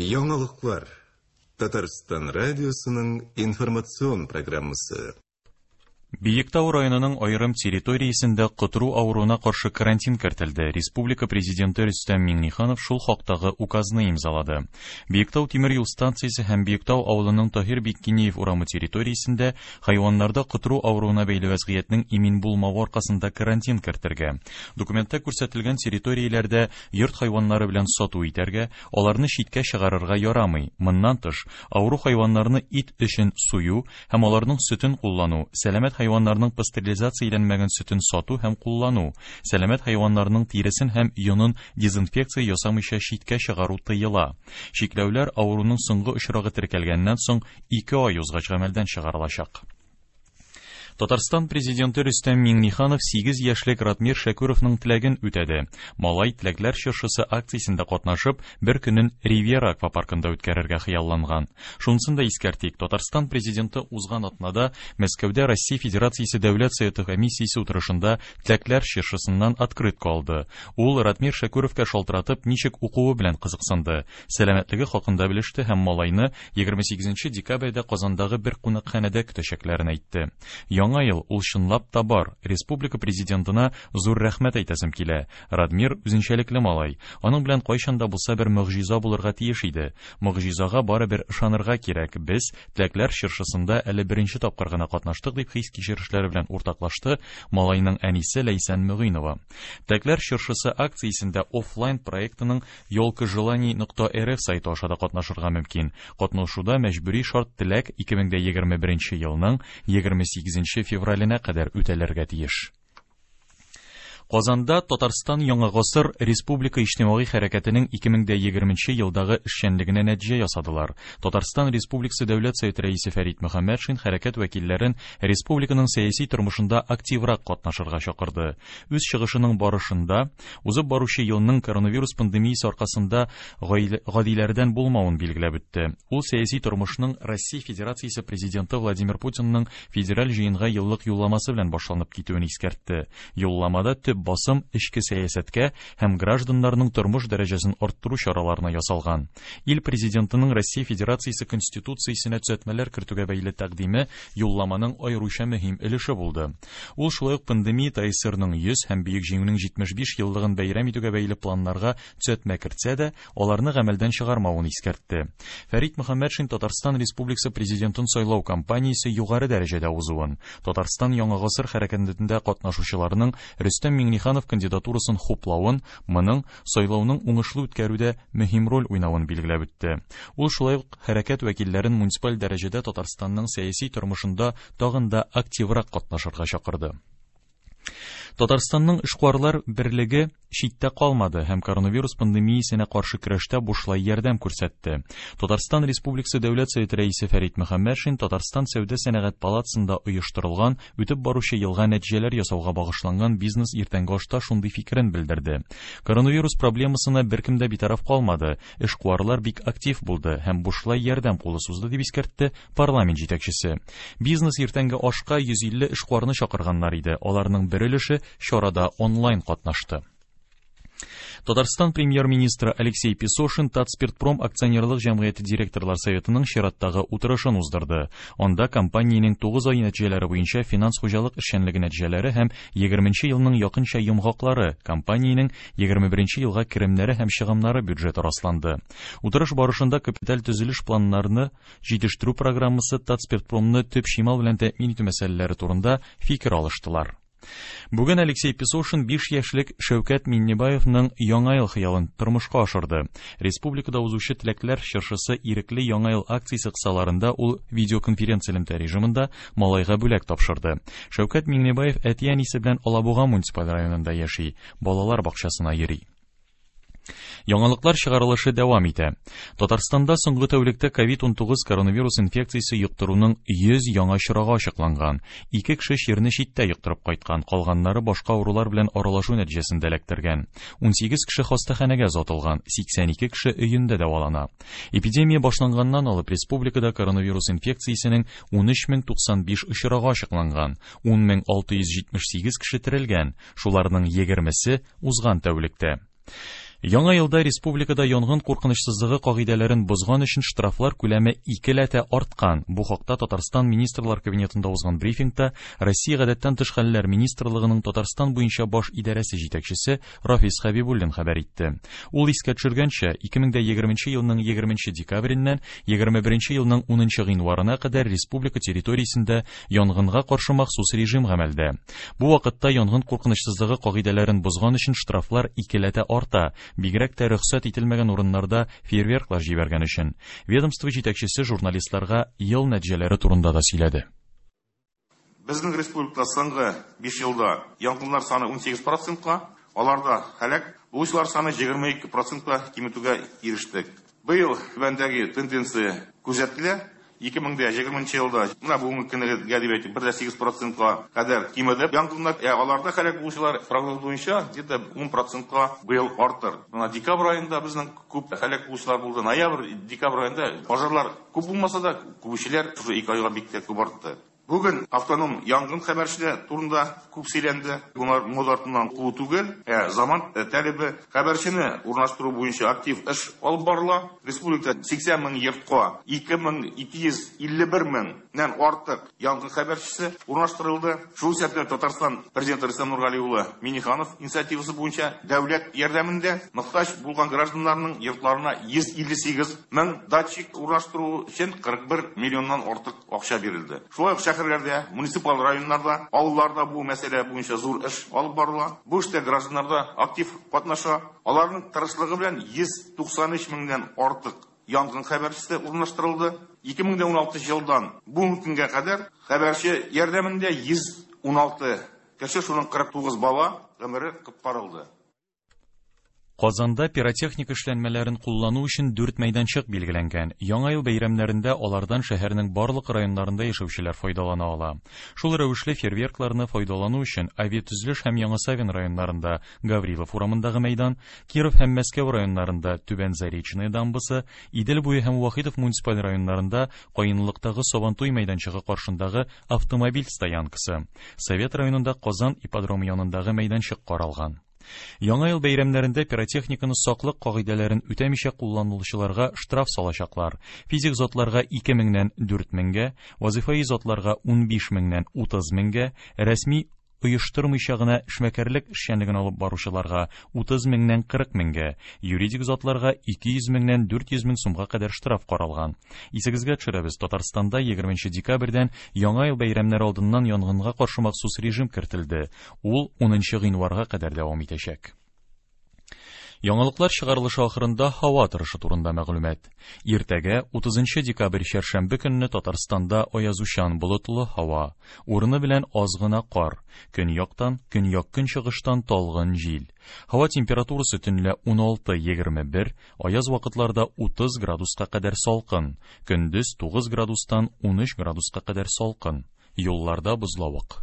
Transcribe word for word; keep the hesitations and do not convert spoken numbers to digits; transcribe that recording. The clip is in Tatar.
Яңалыклар. Татарстан радиосының информацион программасы. Биектау районының аерым территориясендә котыру авыруына каршы карантин кертелде. Республика президенты Рөстәм Миңнеханов шул хактагы указны имзалады. Биектау тимер юл станциясе һәм Биектау авылының Таһир Биккинеев урамы территориясендә хайваннарда котыру авыруына бәйле вәзгыятьнең имин булмавы аркасында карантин кертергә. Документта күрсәтелгән территорияләрдә йорт хайваннары белән сату итәргә, аларны читкә чыгарырга ярамый. Моннан тыш, авыру хайваннарны ит өчен сую һәм аларның сөтен куллану, сәламәт хайваннарның пастеризацияләнмәгән сөтен сату һәм куллану, сәламәт хайваннарның тиресен һәм йонын дезинфекция ясамыйча читкә чыгару тыела. Чикләүләр авыруның соңгы очрагы теркәлгәннән соң ике ай узгач гамәлдән чыгарылачак. Татарстан президенты Рөстәм Миңнеханов сигез яшьлек Ратмир Шәкүровның теләген үтәде. Малай теләкләр чыршысы акциясендә катнашып, бер көнен Ривьера аквапаркында үткәрергә хыялланган. Шунысын да искәртик, Татарстан президенты узган атнада Мәскәүдә Россия Федерациясе Дәүләт Советы комиссиясе утырышында теләкләр чыршысыннан открытка алды. Ул Ратмир Шәкүровка шалтыратып, ничек укуы белән кызыксынды, сәламәтлеге хакында белеште һәм малайны егерме сигезенче декабрьдә Казандагы бер кунакханәдә көтәчәкләрен әйтте. Яңа ел ул чынлап та бар. Республика президентына зур рәхмәт әйтәсем килә. Радмир үзенчәлекле малай. Аның белән кайчан да булса бер могҗиза булырга тиеш иде. Могҗизага барыбер ышанырга кирәк. Без теләкләр чыршысында әле беренче тапкыр гына катнаштык, дип хис-кичерешләре белән уртаклашты малайның әнисе Ләйсән Мөгыйнова. Теләкләр чыршысы акциясендә офлайн проектының Елка желаний нокта рф сайты аша да катнашырга мөмкин. Катнашуда мәҗбүри шарт теләк ике мең дә егерме беренче елның егерме сигезенче февраленә кадәр үтәлергә тиеш. Казанда Татарстан Яңа гасыр Республика иҗтимагый хәрәкәтенең ике мең дә егерменче елдагы эшчәнлегенә нәтиҗә ясадылар. Татарстан Республикасы Дәүләт Советы рәисе Фәрит Мөхәммәтшин хәрәкәт вәкилләрен республиканың сәяси тормышында активрак катнашырга чакырды. Үз чыгышының барышында узып баручы елның коронавирус пандемиясе аркасында гаилә, гадиләрдән булмавын билгеләп үтте. Ул сәяси тормышның Россия Федерациясе президенты Владимир Путинның федераль җыенга еллык юлламасы белән башланып китүен искәртте. Юлламада төп басым эчке сәясәткә һәм гражданнарның тормыш дәрәҗәсен арттыру чараларына ясалган. Ил президентының Россия Федерациясе Конституциясенә төзәтмәләр кертүгә бәйле тәкъдиме юлламаның аеруча мөһим өлеше булды. Ул шулай ук пандемия ТАССРның йөз һәм Бөек Җиңүнең җитмеш биш еллыгын бәйрәм итүгә бәйле планнарга төзәтмә кертсә дә, аларны гамәлдән чыгармавын искәртте. Фәрит Мөхәммәтшин Татарстан Республикасы президентын сайлау кампаниясе югары дәрәҗәдә узуын, Татарстан Яңа гасыр хәрәкәтендә катнашучыларның Рөстәм Миңнеханов кандидатурасын хуплавын, моның сайлауның уңышлы үткәрүдә мөһим роль уйнавын билгеләп үтте. Ул шулай ук хәрәкәт вәкилләрен муниципаль дәрәҗәдә Татарстанның сәяси тормышында тагын да активрак катнашырга чакырды. Татарстанның эшкуарлар берлеге читтә калмады һәм коронавирус пандемиясенә каршы көрәштә бушлай ярдәм күрсәтте. Татарстан Республикасы Дәүләт Советы рәисе Фәрит Мөхәммәтшин Татарстан Сәүдә сәнәгать палатасында оештырылган үтеп баручы елга нәтиҗәләр ясауга багышланган бизнес иртәнге ашта шундый фикерен белдерде. Коронавирус проблемасына беркем дә битараф калмады. Эшкуарлар бик актив булды һәм бушлай ярдәм кулы сузды, дип искәртте парламент җитәкчесе. Бизнес иртәнге ашка йөз илле эшкуарны чакырганнар иде. Аларның бер өлеше чарада онлайн катнашты. Татарстан премьер-министры Алексей Песошин Татспиртпром акционерлык җәмгыяте директорлар советының чираттагы утырышын уздырды. Анда компаниянең тугыз ай нәтиҗәләре буенча финанс хуҗалык эшчәнлеге нәтиҗәләре һәм егерменче елның якынча йомгаклары, компаниянең егерме беренче елга керемнәре һәм чыгымнары бюджеты расланды. Утырыш барышында капиталь төзелеш планнарны җитештерү программасы Татспиртпромны төп чимал белән тәэмин итү мәсьәләләре турында фикер алыштылар. Бүген Алексей Песошин биш яшьлек Шәүкәт Миннебаевның Яңа ел хыялын тормышка ашырды. Республикада узучы теләкләр чыршысы ирекле Яңа ел акциясе кысаларында ул видеоконференция элемтә режимында малайга бүләк тапшырды. Шәүкәт Миңнебаев әти-әнисе белән Алабуга муниципаль районында яши, балалар бакчасына йөри. Яңалыклар чыгарылышы дәвам итә. Татарстанда соңгы тәүлектә ковид унтугыз коронавирус инфекциясе йоктыруның йөз яңа очрагы ачыкланган. Ике кеше чирне читтә йоктырып кайткан, калганнары башка авырулар белән аралашу нәтиҗәсендә эләктергән. Унсигез кеше хастаханәгә озатылган, сиксән ике кеше өендә дәвалана. Эпидемия башланганнан алып республикада коронавирус инфекциясенең унөч мең туксан биш очрагы ачыкланган, ун мең алты йөз җитмеш сигез кеше терелгән, шуларның егермесе узган тәүлектә. Яңа елда республикада янгын куркынычсызлыгы кагыйдәләрен бозган өчен штрафлар күләме икеләтә арткан. Бу хакта Татарстан Министрлар Кабинетында узган брифингта Россия Гадәттән тыш хәлләр министрлыгының Татарстан буенча баш идарәсе җитәкчесе Рафис Хәбибуллин хәбәр итте. Ул искә төшергәнчә, ике мең дә егерменче елның егерменче декабреннән егерме беренче елның унынчы гыйнварына кадәр республика территориясендә янгынга каршы махсус режим гамәлдә. Бу вакытта янгын куркынычсызлыгы кагыйдәләрен бозган өчен штрафлар икеләтә арта. Бигрәк тә рөхсәт ителмәгән урыннарда фейерверклар җибәргән өчен. Ведомство җитәкчесе журналистларга ел нәтиҗәләре турында да сөйләде. Безнең республикада соңгы биш елда янгыннар саны ун сигез процентка, аларда һәлак булучылар саны егерме ике процентка киметүгә ирештек. Быел түбәндәге тенденция күзәтелә. Ике мең дә егерменче елда, менә бүгенге көнгә дип әйтик, бер дә сигез процентка кадәр кимеде. Янгыннар, ә аларда һәлак булучылар прогноз буенча где-то ун процентка быел артыр. Менә декабрь аенда безнең күп һәлак булучылар булды. Ноябрь, декабрь аенда пожарлар күп булмаса да, күбүчеләр шушы ике айга бик тә күп артты. Бүген автоном янгын хәбәрчеләре турында күп сөйләнде. Булар мода артыннан куу түгел, ә заман таләбе. Хәбәрчене урнаштыру буенча актив эш алып барыла. Республикада сиксән мең йортка ике мең ике йөз илле бер меңнән артык янгын хәбәрчесе урнаштырылды. Шул исәптән Татарстан президенты Рөстәм Нургали улы Миңнеханов инициативасы буенча дәүләт ярдәмендә мохтаҗ булган гражданнарның йортларына йөз илле сигез мең датчик урнаштыру өчен кырык бер миллионнан артык акча бирелде. Шулай ук шәһәрләрдә, муниципаль районнарда, авылларда бу мәсьәлә буенча зур эш алып барыла. Бу эштә гражданнар да актив катнаша. Аларның тырышлыгы белән йөз туксан өч меңнән артык янгын хәбәрчесе урнаштырылды. Ике мең дә уналтынчы елдан бүгенге көнгә кадәр хәбәрче ярдәмендә йөз уналты кеше, шуның кырык тугыз бала гомере коткарылды. Казанда пиротехника эшләнмәләрен куллану өчен дүрт мәйданчык билгеләнгән. Яңа ел бәйрәмнәрендә алардан шәһәрнең барлык районнарында яшәүчеләр файдалана ала. Шул рәвешле фейерверкларны файдалану өчен Авиатөзелеш һәм Яңа Савин районнарында Гаврилов урамындагы мәйдан, Киров һәм Мәскәү районнарында Түбән Заречная дамбасы, Идел буе һәм Вахитов муниципаль районнарында Каенлыктагы Сабантуй мәйданчыгы каршындагы автомобиль стоянкасы, Совет районында Казан ипподромы янындагы мәйданчык каралган. Яңа ел бәйрәмнәрендә пиротехниканы саклык кагыйдәләрен үтәмичә кулланучыларга штраф салачаклар. Физик затларга ике меңнән дүрт меңгә, вазифаи затларга унбиш меңнән утыз меңгә, рәсми оештырмыйча гына эшмәкәрлек эшчәнлеген алып баручыларга утыз меңнән кырык меңгә, юридик затларга ике йөз меңнән дүрт йөз мең сумга кадәр штраф каралган. Исегезгә төшерәбез, Татарстанда егерменче декабрьдән Яңа ел бәйрәмнәре алдыннан янгынга каршы махсус режим кертелде. Ул унынчы гыйнварга кадәр дәвам итәчәк. Яңалыклар чыгарылышы ахырында һава торышы турында мәгълүмат. Иртәгә утызынчы декабрь чәршәмбе көнне Татарстанда аязучан болытлы һава, урыны белән аз гына кар, көньяктан, көньяк-көнчыгыштан талгын җил. Һава температурасы төнлә уналты егерме бер, аяз вакытларда утыз градуска кадәр салкын, көндез тугыз градустан унөч градуска кадәр салкын. Юлларда бозлавык.